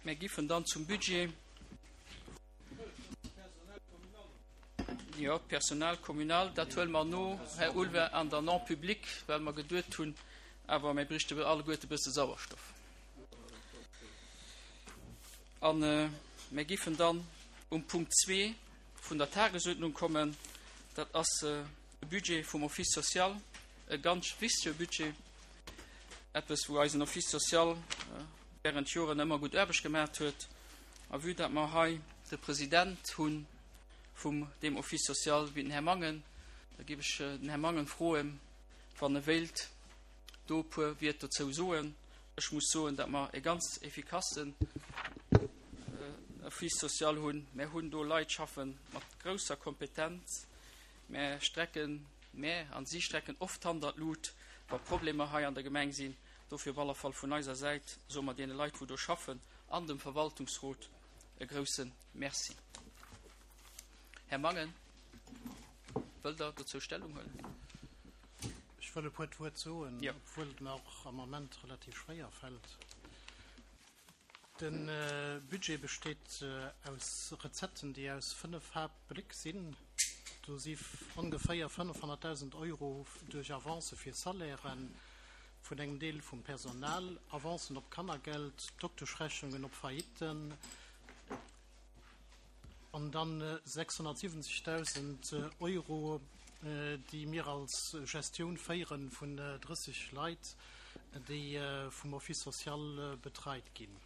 Mär giffen dann zum Budget. Jo, d'Personal communal, dat huele mer no, Här Ulver, an der Non-publique, well mer geduet hunn, awer mir bräichte alleguerte e bësse Sauerstoff. An mir giffen dann um Punkt 2 vun der Tagesuerdnung kommen. Dat ass de Budget vum Office social, e ganz wichtige Budget, eppes wou eisen Office social während Joren ëmmer gutt Aarbecht gemaat huet. A vue dat mer hei de President hu vum deem Office social, wéi den Här Mangen, da géif ech den Här Mangen froen, wann e wéilt do e puer Wiert dozou soen. Ech muss soen, dat mer e ganz effikassen Office social hunn. Mär hunn do Leit schaffe mat grousser Kompetenz. Mär strecken, mär an si strecken oft d'Hand an d'Lut, wa Problemer hei an der Gemeng sinn. Dofir op alle Fall vun eiser Säit soe mer deene Leit, wou do schaffen, an dem Verwaltungsrot e grouse Merci. Här Mangen, wëllt Der dozou Stellung huelen? Ech wëll e puert Wuert soen, obwuel et mer och am Ament relativ schwéier fält. De Budget besteet aus Recetten, déi aus 5 Haaptbléck sinn. Do si ongeféier 500.000 Euro duerch Avancë fir Salairen vun engem Deel vum Personal, Avancen op Kannergeld, Dokteschrechnungen op Faillitten an dann 670.000 Euro, déi mir als Gestioun féiere vun 30 Leit, déi vum Office social betreit ginn.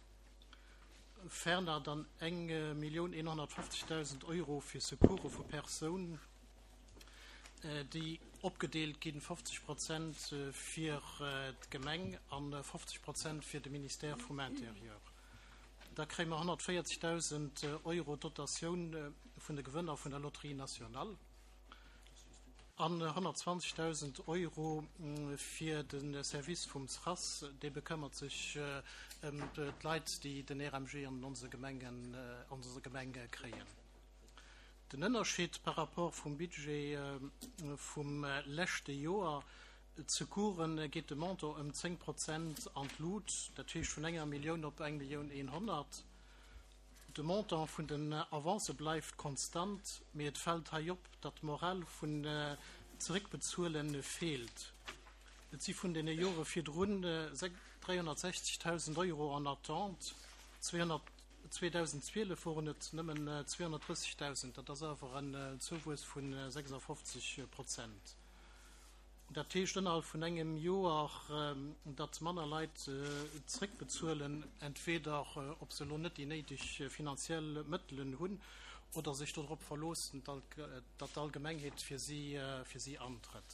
Ferner dann 1.150.000 Euro fir Secourse vu Persoun, déi opgedeelt ginn, 50 Prozent fir d'Gemeng a 50 Prozent fir de Ministère vum Intérieur. Da kréie mer 140.000 Euro Dotatioun vun de Gewënner vun der Loterie nationale. An 120.000 Euro fir de Service vum SRAS, dee bekëmmert sech ëm d'Leit, déi den RMG an onse Gemengen, an onser Gemeng kréien. Den Ënnerscheed par rapport vum Budget vum leschte Joer, D'Secoursen geet de Montant ëm 10 Prozent an d'Lut, dat heescht vun enger Millioun op eng Millioun 100. De Montant vun den Avancë bleift konstant, mee et fält hei op, datt d'Moral vun Zeréckbezuele feelt. Et si vun deene Jore virdrun 360.000 Euro en attente, 2012 woren et nëmmen 230.000, dat ass awer en Zouwuess vu 56 Prozent. Dat heescht ënnerhalb vun engem Joer, datt manner Leit zréckbezuelen, entweder ob se elo net déi néideg finanziell Mëttelen hunn oder sech dodrop verloossen, datt d'Allgemengheet fir si fir si antrëtt.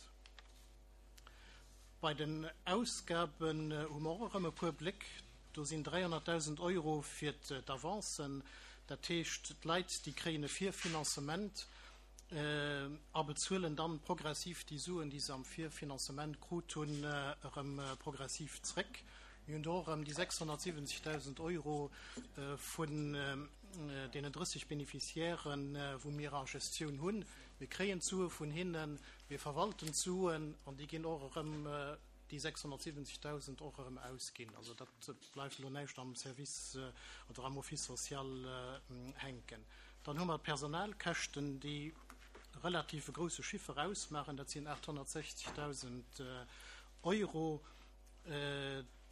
Bei den Ausgaben hu mer och erëm e puer Bléck. Do sinn 300.000 Euro fir d'Avancen, dat heescht d'Leit, déi kréien e Virfinanzement. a bezuelen dann progressiv déi Suen, déi se am Virfinanzement krut hunn, erëm progressiv zréck. Mir hunn do och erëm déi 670.000 Euro vun deenen 30 Beneficiairen, wou mir a Gestioun hunn. Mir kréien d'Sue vun hinnen, mir verwalten d'Suen an déi ginn och erëm, déi 670.000 och erëm ausginn. Also dat bleift elo näischt am Service oder am Office social hänken. Dann hu mer d'Personalkäschten, déi relativ e grouse Chiffer ausmaachen, dat sinn 860.000 Euro.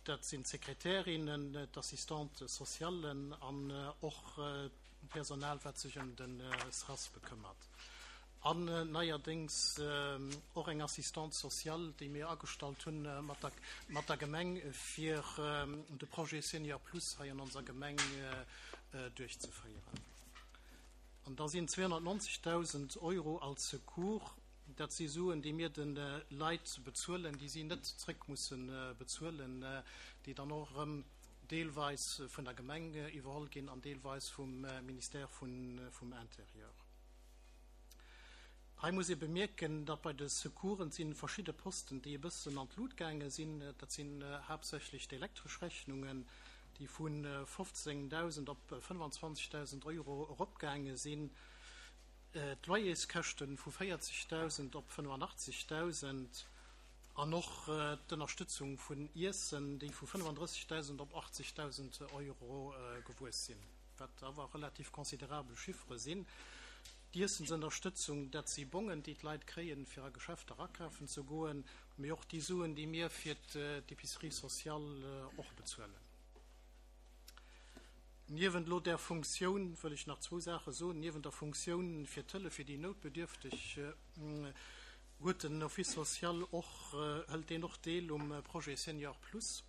Dat sinn d'Sekretärinnen, d'Assistantes socialen an och d'Personal, wat sech ëm de SRAS bekëmmert. An neierdéngs och eng Assistante sociale, déi mir agestallt hunn mat der Gemeng, fir de Projet Senior Plus hei an onser Gemeng duerchzeféieren. An da sinn 290.000 Euro als Secours, dat si Suen, déi mir de Leit bezuelen, déi si net zréck musse bezuelen, déi dann och erëm deelweis vun der Gemeng iwwerholl ginn an deelweis vum Ministère vum Intérieur. Hei muss ee bemierken, datt bei de Secoursen si verschidde Posten, déi e bëssen an d'Lut gaange sinn. Dat sinn haaptsächlech d'elektresch Rechnungen, déi vu 15.000 op 25.000 Euro eropgaange sinn, d'Loyerskäschte vu 40.000 op 85.000. An och d'Ënnerstëtzung vun Iessen, déi vu 35.000 op 80.000 Euro gewuess sinn, wat awer relativ considerabel Chiffere sinn. D'Iessensënnerstëtzung, dat si Bongen, déi d'Leit kréien, fir a Geschäfter akafen ze goen, mee och déi Suen, déi mir fir d'Épicerie sociale och bezuelen. Niewent elo där Funktioun wëll ech nach zwou Saache soen. Niewent der Funktioun fir d'Hëllef fir déi Noutbedürfteg huet den Office social och, hëlt deen och Deel um Projet Senior Plus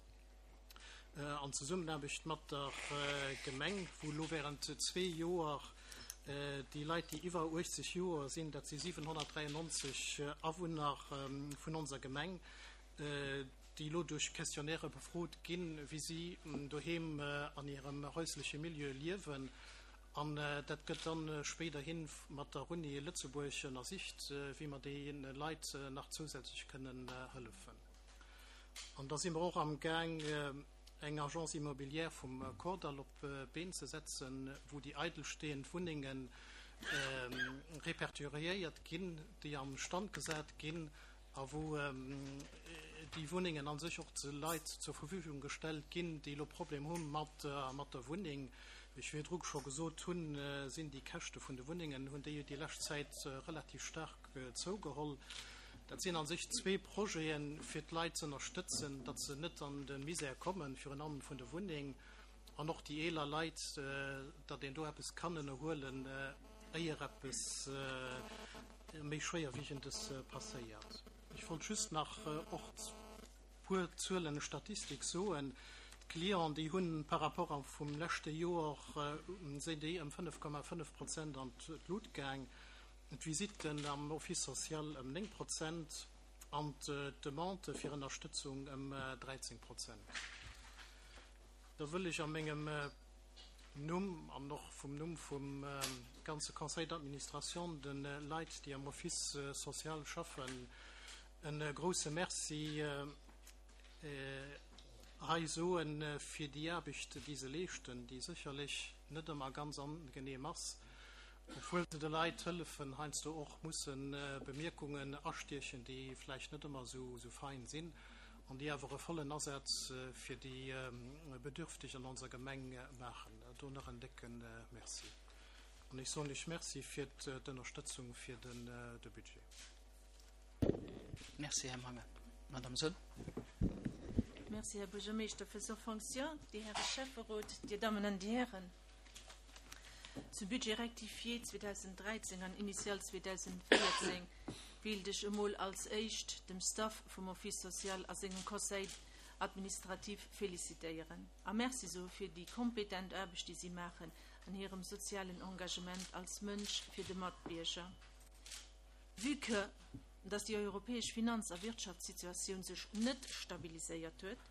an Zesummenaarbecht mat der Gemeng, wou elo während zwee Joer déi Leit, déi iwwer 80 Joer sinn, dat si 793 Awunner vun onser Gemeng, déi elo duerch Questionnairë befrot ginn, wéi si doheem an hirem häusleche Milieu liewen. An dat gëtt dann spéiderhi mat der Uni Lëtzebuerg ënnersicht, wéi mer deene Leit nach zousätzlech kënnen hëllefen. An da si mer och am Gaang, eng Agence immobilière vum Kordall op d'Been ze setzen, wou déi eidelstehend Wunnenge répertoriéiert ginn, déi am Stand gesat ginn a wou déi Wunnengen a sech och de Leit zur Verfügung gestellt ginn, déi elo Problem hu mat der Wunneng. Wéi ech virdru scho gesot hunn, sinn déi Käschte vun de Wunnengen, hunn déi déi lescht Zäit relativ staark zougeholl. Dat sinn a sech zwee Projeten, fir d'Leit ze ënnerstëtzen, datt se net an de Misär kommen, virun allem vun der Wunneng, an och déi eeler Leit, datt een do eppes kann ënnerhuelen, éier eppes méi Schwéierwiegendes passéiert. Ech wollt just nach och puer Zuelen, Statistik soen. D'Clienten, déi hunn par rapport vum leschte Joer, sinn déi ëm 5,5 Prozent an d'Lut gaang, d'Visitten am Office social ëm 9 Prozent an d'Demandë fir Ënnerstëtzung ëm 13 Prozent. Da wëll ech a mengem Numm an och vum Numm vum ganze Conseil d'administration de Leit, déi am Office social schaffen, e grouse Merci hei soe fir déi Aarbecht, déi se leeschten, déi sécherlech net ëmmer ganz angenehm ass, obwuel se de Leit hëllefen, heiansdo och musse Bemierkungen astiechen, déi vläicht net ëmmer esou fein sinn. an déi awer e vollen Asaz fir déi Bedürfteg an onser Gemeng maachen. Do nach en décke Merci. An ech soen lech Merci fir d'Ënnerstëtzung fir de Budget. Merci, Här Mangen. Madame Soll. Merci, Här Buergermeeschter, Faisant fonction, Dir Häre Schäfferot, Dir Dammen an Dir Hären. Zum Budget rectifié 2013 an initial 2014 wéilt ech emol als éischt dem Staff vum Office social a sengem Conseil administratif félicitéieren a Merci soe fir déi kompetent Aarbecht, déi si maachen an hirem sozialen Engagement als Mënsch fir de Matbierger. Vue que dass déi europäesch Finanz a Wirtschaftssituatioun sech net stabiliséiert huet,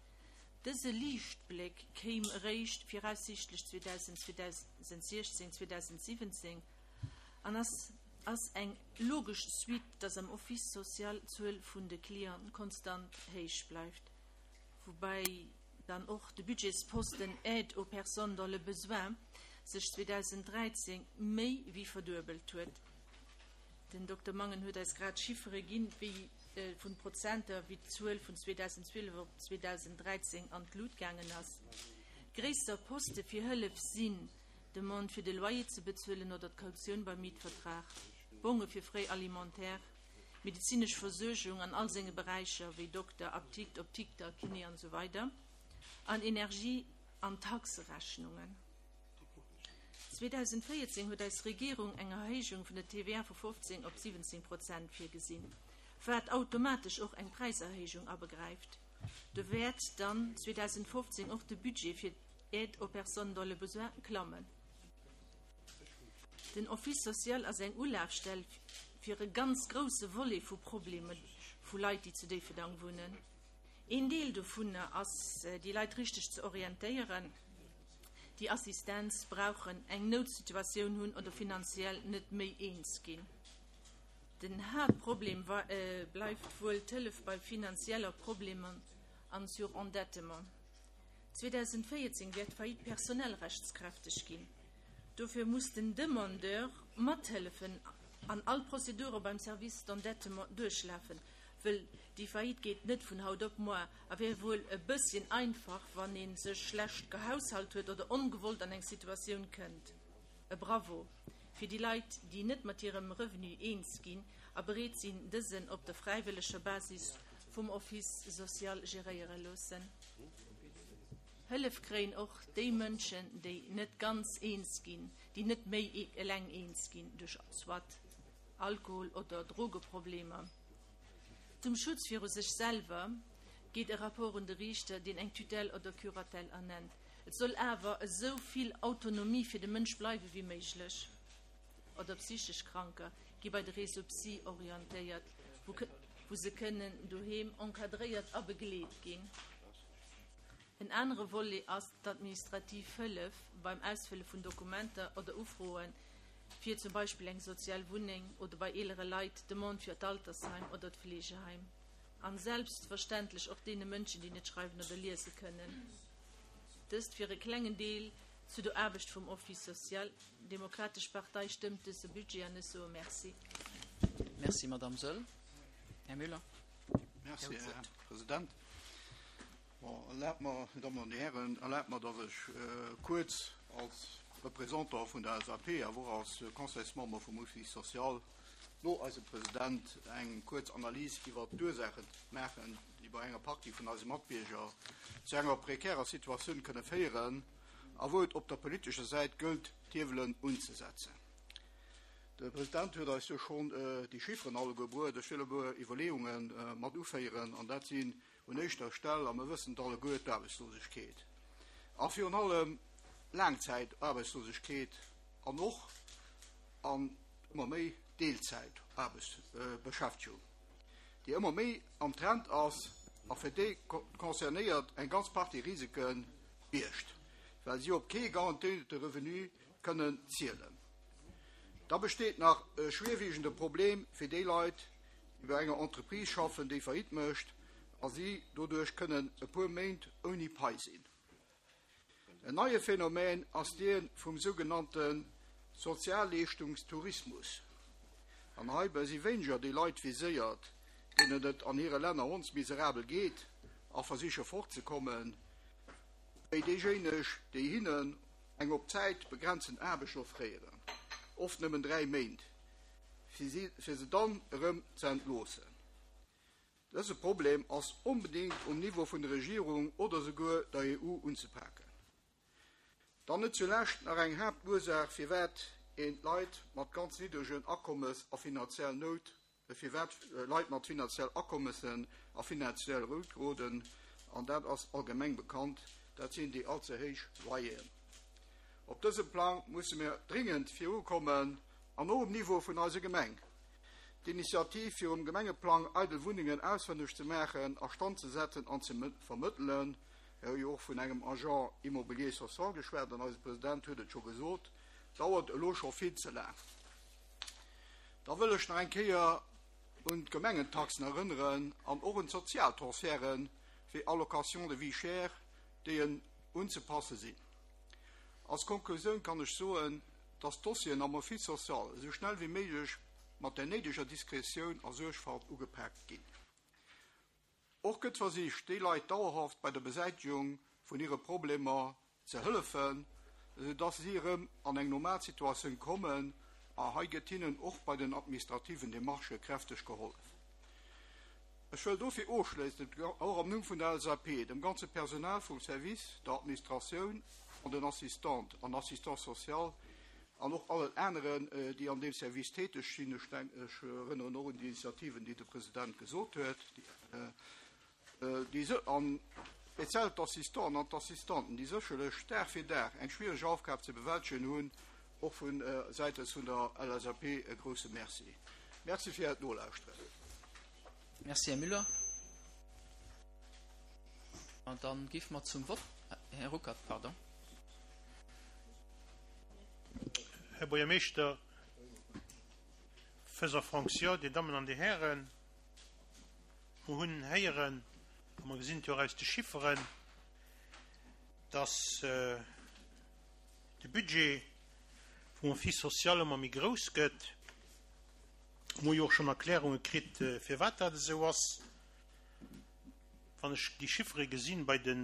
Dëse Liichtbléck kéim eréischt viraussiichtlech 2016, 2017 an ass ass eng logesch Suite, dass am Office social d'Zuel vun de Clienten konstant héich bleift, woubäi dann och de Budgetsposten Aide aux personnes dans le besoin sech 2013 méi wéi verduebelt huet. Den Dokter Mangen huet eis grad Chiffere ginn, wéi vun Prozenter, wéi d'Zuel vun 2012 op 2013 an d'Lut gaangen ass. Gréisser Poste fir Hëllef sinn, Demande fir de Loyer ze bezuelen oder d'Kautioun beim Mietvertrag, Bonge fir Frais alimentaires, medezinesch Versuergung an all senge Beräicher, wéi Dokter, Apdikt, Optikter, Kiné an esou weider an Energie an Taxerechnungen. 2014 huet eis Regierung eng Erhéijung vun der TVA vu 15 op 17 Prozent virgesinn, wat automatesch och eng Präiserhéijung abegräift. Do wäert dann 2015 och de Budget fir d'Aide aux personnes dans le besoin klammen. Den Office social ass eng Ulafstell fir e ganz grousse Volet vu Problemer vu Leit, déi zu Déifferdang wunnen. Een Deel dovunner ass, déi Leit richteg ze orientéieren, déi Assistenz brauchen, eng Noutsituatioun hunn oder finanziell net méi eens ginn. Den Haaptproblem bleift wuel d'Hëllef bei finanzieller Problemer an Surendettement. 2014 wäert d'Faillite personnelle rechtskräfteg ginn. Dofir muss den Demandeur mathëllefen an all Prozedure beim Service d'endettement duerchlafen. Wëll déi Faillite geet net vun haut op moar a wär wuel e bësschen einfach, wann ee sech schlecht gehaushalt huet oder ongewollt an eng Situatioun kënnt. E Bravo fir déi Leit, déi net mat hirem Revenu eens ginn a bereet sinn, dësen op der fräiwëlleger Basis vum Office social geréiere loossen. Hëllef kréien och déi Mënschen, déi net ganz eens ginn, déi net méi eleng eens ginn duerch soit Alkohol oder Drogeproblemer. Zum Schutz viru sech selwer geet e Rapport un de Riichter, deen eng Tutelle oder Curatelle ernennt. Et soll awer esou vill Autonomie fir de Mënsch bleiwe wéi méiglech. Oder psychesch Kranker gi bei de Réseau Psy orientéiert, wou se kënnen doheem encadréiert a begleet ginn. En anere Volet ass d'administrativ Hëllef beim Ausfëlle vun Dokumenter oder Ufroe fir zum Beispill eng sozial Wunneng oder bei eelere Leit d'Demande fir d'Altersheim oder d'Fleegeheim. An selbstverständlech och deene Mënschen, déi net schreiwen oder liese kënnen. Dëst fir e klengen Deel zu der Aarbecht vum Office social. D'Demokratesch Partei stëmmt dëse Budget an ech soe Merci. Merci, Madamm Söll. Här Müller. Merci, Här President. Bon, erlaabt mer, Dir Dammen an Dir Hären, erlaabt mer, dass ech kuerz als Représentant vun der LSAP, awer och als Conseilsmember vum Office social no eisem President eng kuerz Analys iwwert d'Ursaache maachen, déi bei enger Partie vun eise Matbierger zu enger prekärer Situatioun kënne féieren a wou et op der politescher Säit gëllt, d'Hiewelen unzesetzen. De President huet eis jo schonn déi Chifferen alleguer bruet. Ech wëll e puer Iwwerleeunge mat uféieren, an dat sinn un éischter Stell, a mer wëssen et alleguer, d'Aarbechtslosegkeet a virun allem Laangzäitaarbechtslosegkeet an och an ëmmer méi Deelzäitaarbechtsbeschäftegung, déi ëmmer méi am Trend ass a fir déi Concernéiert eng ganz Partie Risike biergt, well si op kee garantéierte Revenu kënnen zielen. Da besteet nach e schwierwiegende Problem fir déi Leit, déi bei enger Entreprise schaffen, déi Faillite mécht a si doduerch kënnen e puer Méint ouni Pai sinn. En neie Phänomen ass dee vum sougenannte Sozialleeschtungstourismus. An heibäi si wéineger déi Leit viséiert, deenen et an hire Länner hondsmiserabel geet a versiche fortzekommen, wéi déijéineg, déi hinnen eng op Zäit begrenzen Aarbecht offréieren, oft nëmmen 3 Méint, fir se dann erëm ze entloossen. Dëse Problem ass onbedéngt um Niveau vun der Regierung oder souguer der EU unzepaken. Dann net zulescht nach eng Haaptursaach, firwat een d'Leit mat ganz niddregen Akommes a finanziell Nout, firwat Leit mat finanziell Akommessen a finanziell Nout geroden, an dat ass allgemeng bekannt, dat sinn déi allze héich Loyeren. Op dësem Plang musse mir dringend virukommen an och um Niveau vun eiser Gemeng. D'Initiativ fir um Gemengeplang eidel Wunnengen ausfënneg ze maachen, a Stand ze setzen an ze vermëttelen, mir hu jo och vun engem Agent immobilier social geschwat an eise President huet et scho gesot, dauert elo scho vill ze laang. Da wëll ech nach eng Kéier un d'Gemengentaxen erënneren an och un d'Sozialtransferten wéi Allocation de vie chère, déi en unzepasse sinn. Als Konklusioun kann ech soen, dass d'Dossieren am Office social esou schnell wéi méiglech mat der néideger Diskretioun a Suergfalt ugepaakt ginn. Och gëtt versicht, déi Leit dauerhaft bei der Besäitegung vun hire Problemer ze hëllefen, esou dass si erëm an eng normal Situatioun kommen, a hei gëtt hinnen och bei den administrativen Demarchë kräfteg gehollef. Ech wëll dofir ofschléissend och am Numm vun der LSAP dem ganze Personal vum Service, der Administratioun an den Assistantes an Assistants sociaux an och allen aneren, déi an deem Service täteg sinn, ech denken, ech erënneren och un déi Initiativen, déi de President gesot huet, déi an speziell d'Assistants an d'Assistanten, déi sécherlech Dag fir Dag eng schwiereg Aufgab ze bewältegen hunn, och vu säitens vun der LSAP e grouse Merci. Merci fir Äert Nolauschteren. Merci, Här Müller. An dann géife mer zum Vott. Här Ruckert, pardon. Här Buergermeeschter, faisant fonction, Dir Dammen an Dir Hären, mer hunn héieren, a mer gesinn et jo och aus de Chifferen, dass de Budget vum Office social ëmmer méi grouss gëtt. Mer hu jo och schonn Erklärunge kritt, firwat dat esou ass. Wann ech déi Chiffere gesinn bei de,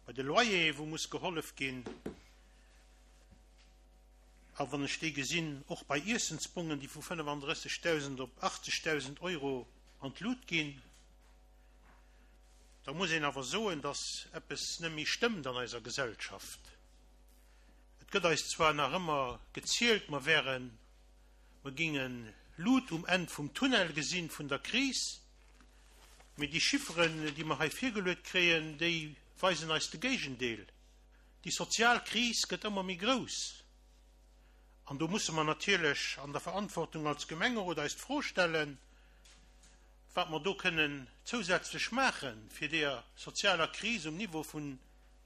bei de Loyere wou muss gehollef ginn, a wann ech déi gesinn och bei Iessensbongen, déi vu 35.000 op 80.000 Euro an d'Lut ginn, da muss een awer soen, dass eppes net méi stëmmt an eiser Gesellschaft. Et gëtt eis zwar nach ëmmer gezielt, mer wären, mer gingen Lut um Enn vum Tunnel gesinn vun der Kris, mee déi Chifferen, déi mer hei virgeluet kréien, déi weisen eis de Géigendeel. Déi sozial Kris gëtt ëmmer méi grouss. An do musse mer natierlech an der Verantwortung als Gemengerot eis d'Fro stellen, wat mer do kënnen zousätzlech maachen, fir deeër sozialer Kris um Niveau vun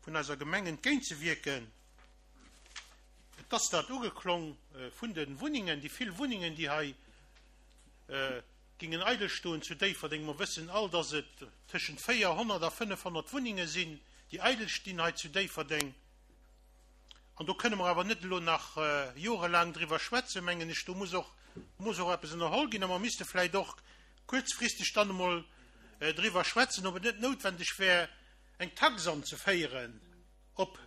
vun eiser Gemeng entgéintzewierken. Et ass dat ugeklong vun de Wunnengen, déi vill Wunnengen, déi hei gingen eidel stoen zu Déifferdeng. Mer wëssen all, dass et tëschent 400 a 500 Wunnenge sinn, déi eidel stinn hei zu Déifferdeng. An do kënne mer awer net elo nach jorelaang driwwer schwätzen, mengen ech. Do muss och, muss och eppes ënnerholl ginn. A mer misste vläicht och kuerzfristeg dann emol driwwer schwätzen, ob et net noutwendeg wär, eng Tax anzeféieren op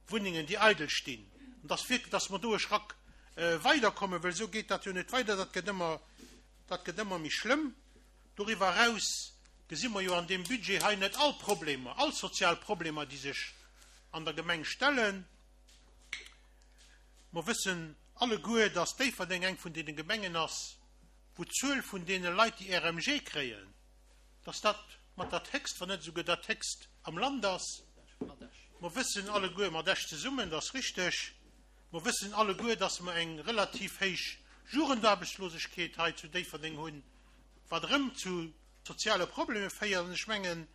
Wunnengen, déi eidel stinn, an dass wierklech, dass mer do e Schrack weiderkommen, well esou geet dat jo net weider, dat gëtt ëmmer, dat gëtt ëmmer méi schlëmm. Doriwwer eraus gesi mer jo an deem Budget hei net all Problemer, all sozial Problemer, déi sech an der Gemeng stellen. Mer wëssen alleguer, dass Déifferdeng eng vun deene Gemengen ass, wou d'Zuel vun deene Leit, déi RMG kréien, dass dat mat dat Héchst, wann net esouguer dat Héchst am Land ass. Mer wëssen alleguer, mat Esch zesummen, dat ass richteg, mer wëssen alleguer, dass mer eng relativ héich Jugendaarbechtslosegkeet hei zu Déifferdeng hunn, wat erëm zu soziale Probleme féiert. An ech mengen,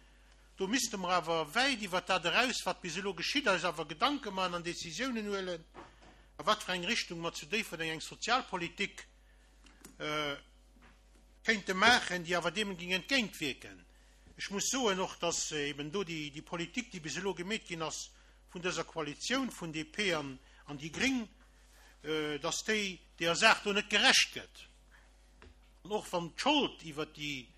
do misste mer awer wäit iwwert dat eraus, wat bis elo geschitt, eis awer Gedanke maachen an Décisiounen huelen, a wat fir eng Richtung mer zu Déifferdeng eng Sozialpolitik kéinte maachen, déi awer deem géing entgéintwierken. Ech muss soen och, dass eben do déi Politik, déi bis elo gemeet ginn ass vun dëser Koalitioun vun DP an déi Gréng, dass déi deeër Saach do net gerecht gëtt. An och wann d'Schold iwwert déi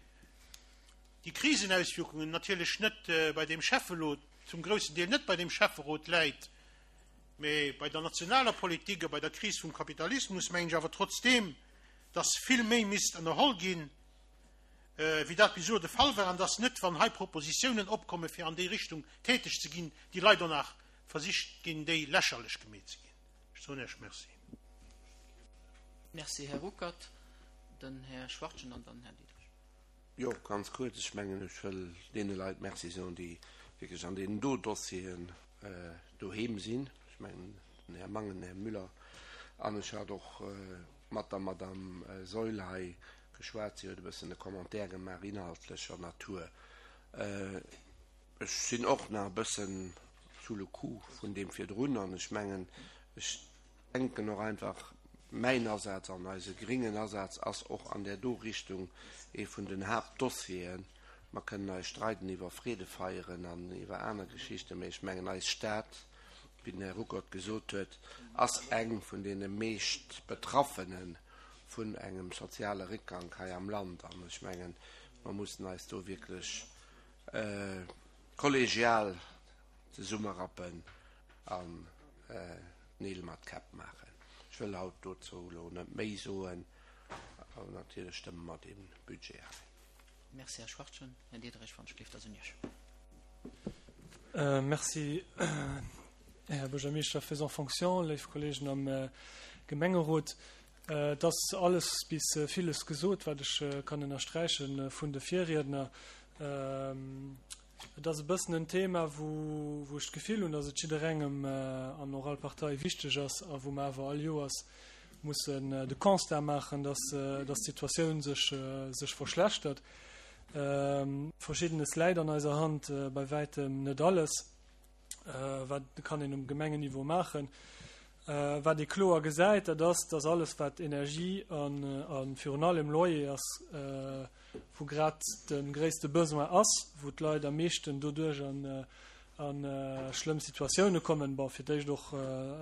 Krisenauswirkungen natierlech net bei deem Schäffelot, zum groussen Deel net bei deem Schäfferot läit, mä bei der nationaler Politik a bei der Kris vum Kapitalismus, mengen ech awer trotzdeem, dass vill méi misst ënnerholl ginn, wéi dat bis elo de Fall war, an dass net, wann hei Propositiounen opkommen, fir an déi Richtung täteg ze ginn, déi Leit och nach versicht ginn, déi lächerlech gemeet ze ginn. Ech soen Iech Merci. Merci, Här Ruckert. Den Här Schwachtgen an dann Här Diderich. Jo, ganz kuerz. Ech mengen, ech wëll deene Leit Merci soen, déi wierklech an deenen do Dossieren doheem sinn. Ech mengen, den Här Mangen, den Här Müller an ech hat och mat der Madame Saeul hei geschwat. Si huet e bëssen e Commentaire gemaach inhaltlecher Natur. Ech sinn och nach e bëssen sous le coup vun deem virdrun an ech mengen, ech denken och einfach, mäin Asaz an eise gréngen Asaz ass och an där do Richtung ee vun den Haaptdossieren. Mer kënnen eis streiden iwwer Freedefeieren an iwwer aner Geschichten, mä ech mengen, eis Stad, wéi den Här Ruckert gesot huet, ass eng vun deene meescht Betraffene vun engem soziale Réckgank hei am Land. An ech mengen, mer mussen eis do wierklech kollegial zesummerappen an Neel mat Käpp maachen. Ech wëll haut dozou elo net méi soen, awer natierlech stëmme mer dee Budget hei. Merci, Här Schwachtgen. Här Diderich, wann ech gleeft, ass un Iech. Merci, Här Buergermeeschter faisant fonction, léif Kollegen am Gemengerot. Et ass alles bis villes gesot, wat ech kann ënnersträiche vun de Virriedner. Et ass e bëssen en Thema, wou ech d'Gefill hunn, datt et jidderengem an och all Partei wichteg ass a wou mer awer all Joers mussen de Constat maachen, datt d'Situatioun sech verschlechtert. Verschiddenes läit an eiser Hand, bei wäitem net alles. Wat kann een um Gemengenniveau maachen? Wat ee kloer gesäit, dat ass, datt alles wat Energie a virun allem Loyer ass, wou grad de gréisste Besoin ass, wou d'Leit am meeschten doduerch a schlëmm Situatioune kommen. Bon, fir d'éischt och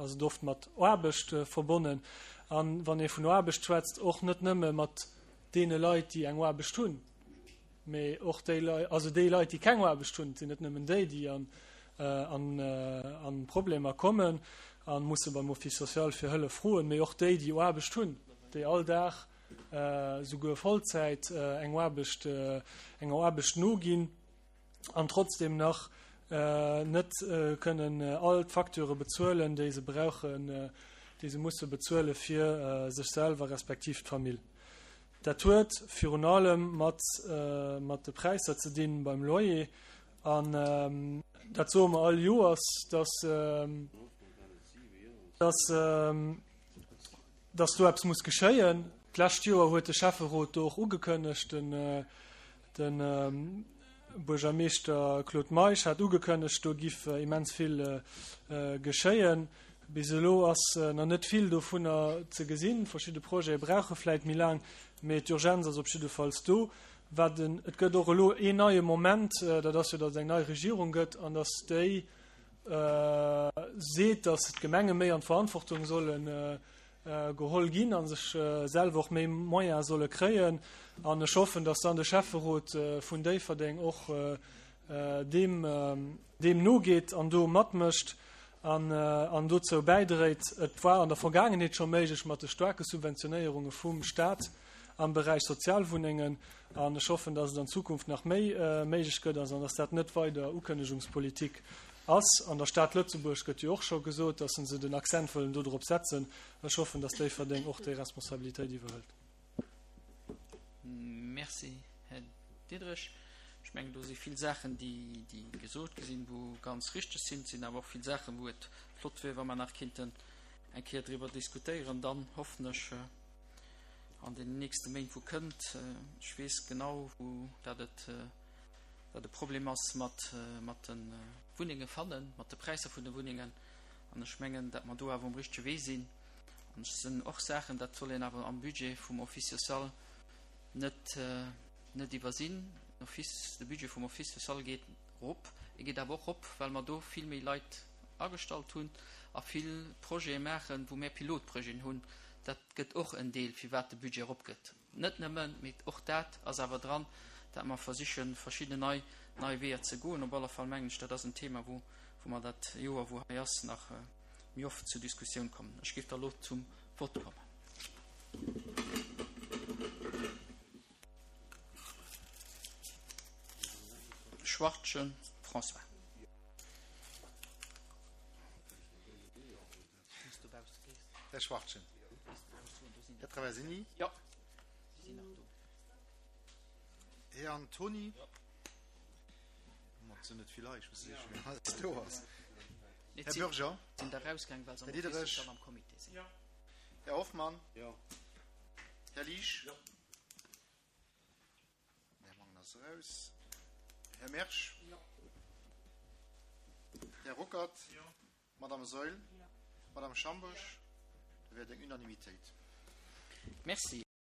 ass et oft mat Aarbecht verbonnen. A wann ee vun Aarbecht schwätzt, och net nëmme mat. deene Leit, déi eng Aarbecht hunn, mee och déi Leit, also déi Leit, déi keng Aarbecht hunn. Et sinn net nëmmen déi, déi an, an, an Problemer kommen a musse beim Office social fir Hëllef froen, mee och déi, déi Aarbecht hunn, déi all Dag, souguer Vollzäit eng Aarbecht, enger Aarbecht noginn an trotzdem nach net kënnen all d'Facture bezuelen, déi se brauchen, déi se musse bezuele fir sech selwer respektiv d'Famill. Dat huet virun allem mat, mat de Präisser ze dinn beim Loyer an dat soe mer all Joers, dass, dass, dass do eppes muss geschéien. D'lescht Joer huet de Schäfferot do och ugekënnegt, den, de Buergermeeschter Claude Meisch hat ugekënnegt, do giff immens vill geschéien. Bis elo ass nach net vill dovunner ze gesinn. Verschidde Projete brauche vläit méi laang, mee d'Urgenz ass op jiddefalls do. Wat en, et gëtt och elo een neie Moment, dat ass jo, datt et eng nei Regierung gëtt an datt déi seet, datt d'Gemenge méi an d'Verantwortung solle geholl ginn a sech selwer och méi Moyene solle kréien. An ech hoffen, datt dann de Schäfferot vun Déifferdeng och deem deem nogeet an do matmécht an an dozou bäidréit. Et war an der Vergaangenheet scho méiglech mat de staarke Subventionéierunge vum Stat am Beräich Sozialwunnengen an ech hoffen, datt et an Zukunft nach méi méiglech gëtt an datt dat net weider Ukënnegungspolitik ass. An der Stad Lëtzebuerg gëtt jo och scho gesot, datt se den Accent wëllen do drop setzen. Ech hoffen, datt Déifferdeng och déi Responsabilitéit iwwerhëlt. Merci, Här Diderich. Ech mengen, do si vill Saachen, déi, déi gesot gi sinn, wou ganz richteg sinn. Et sinn awer och vill Saachen, wou et flott wier, wa mer nach kinnten eng Kéier driwwer diskutéieren. Dann hoffen ech an den nächste Méint, wou kënnt, ech weess genau, wou dat et, dat e Problem ass mat, mat de Wunnenge fannen, mat de Präisser vun de Wunnengen. An ech mengen, dat mer do awer um richtege Wee sinn. An et sinn och Saachen, dat soll een awer am Budget vum Office social net, net iwwersinn. Den Office, de Budget vum Office social geet erop. E geet awer och erop, well mer do vill méi Leit agestallt hunn a vill Projete maachen, wou mär Pilotprojeten hunn. Dat gëtt och en Deel, firwat de Budget eropgëtt. Net nëmmen, mee och dat ass awer dran, dat mer versichen, verschidden nei, nei Weeër ze goen. Op alle Fall mengen ech, dat ass en Thema, wou, wou mer dat Joer, wou hei ass, nach méi oft zur Diskussioun kommen. Ech géif da elo zum Vott kommen. Schwartgen François. Här Schwartgen. Här Traversini. Jo. Här Antoni. Mat sinn net vill Leit, ech weess net, wien alles do ass. Här Bürger. Sinn der rausgaang, well se am Här Diderich. Office am Comité sinn. Här Hoffmann. Jo. Här Liesch. Jo. Här Mangen ass eraus. Här Mersch. Jo. Här Ruckert. Jo. Madame Saeul. Madame Schambosch. Da wier et eng Unanimitéit. Merci.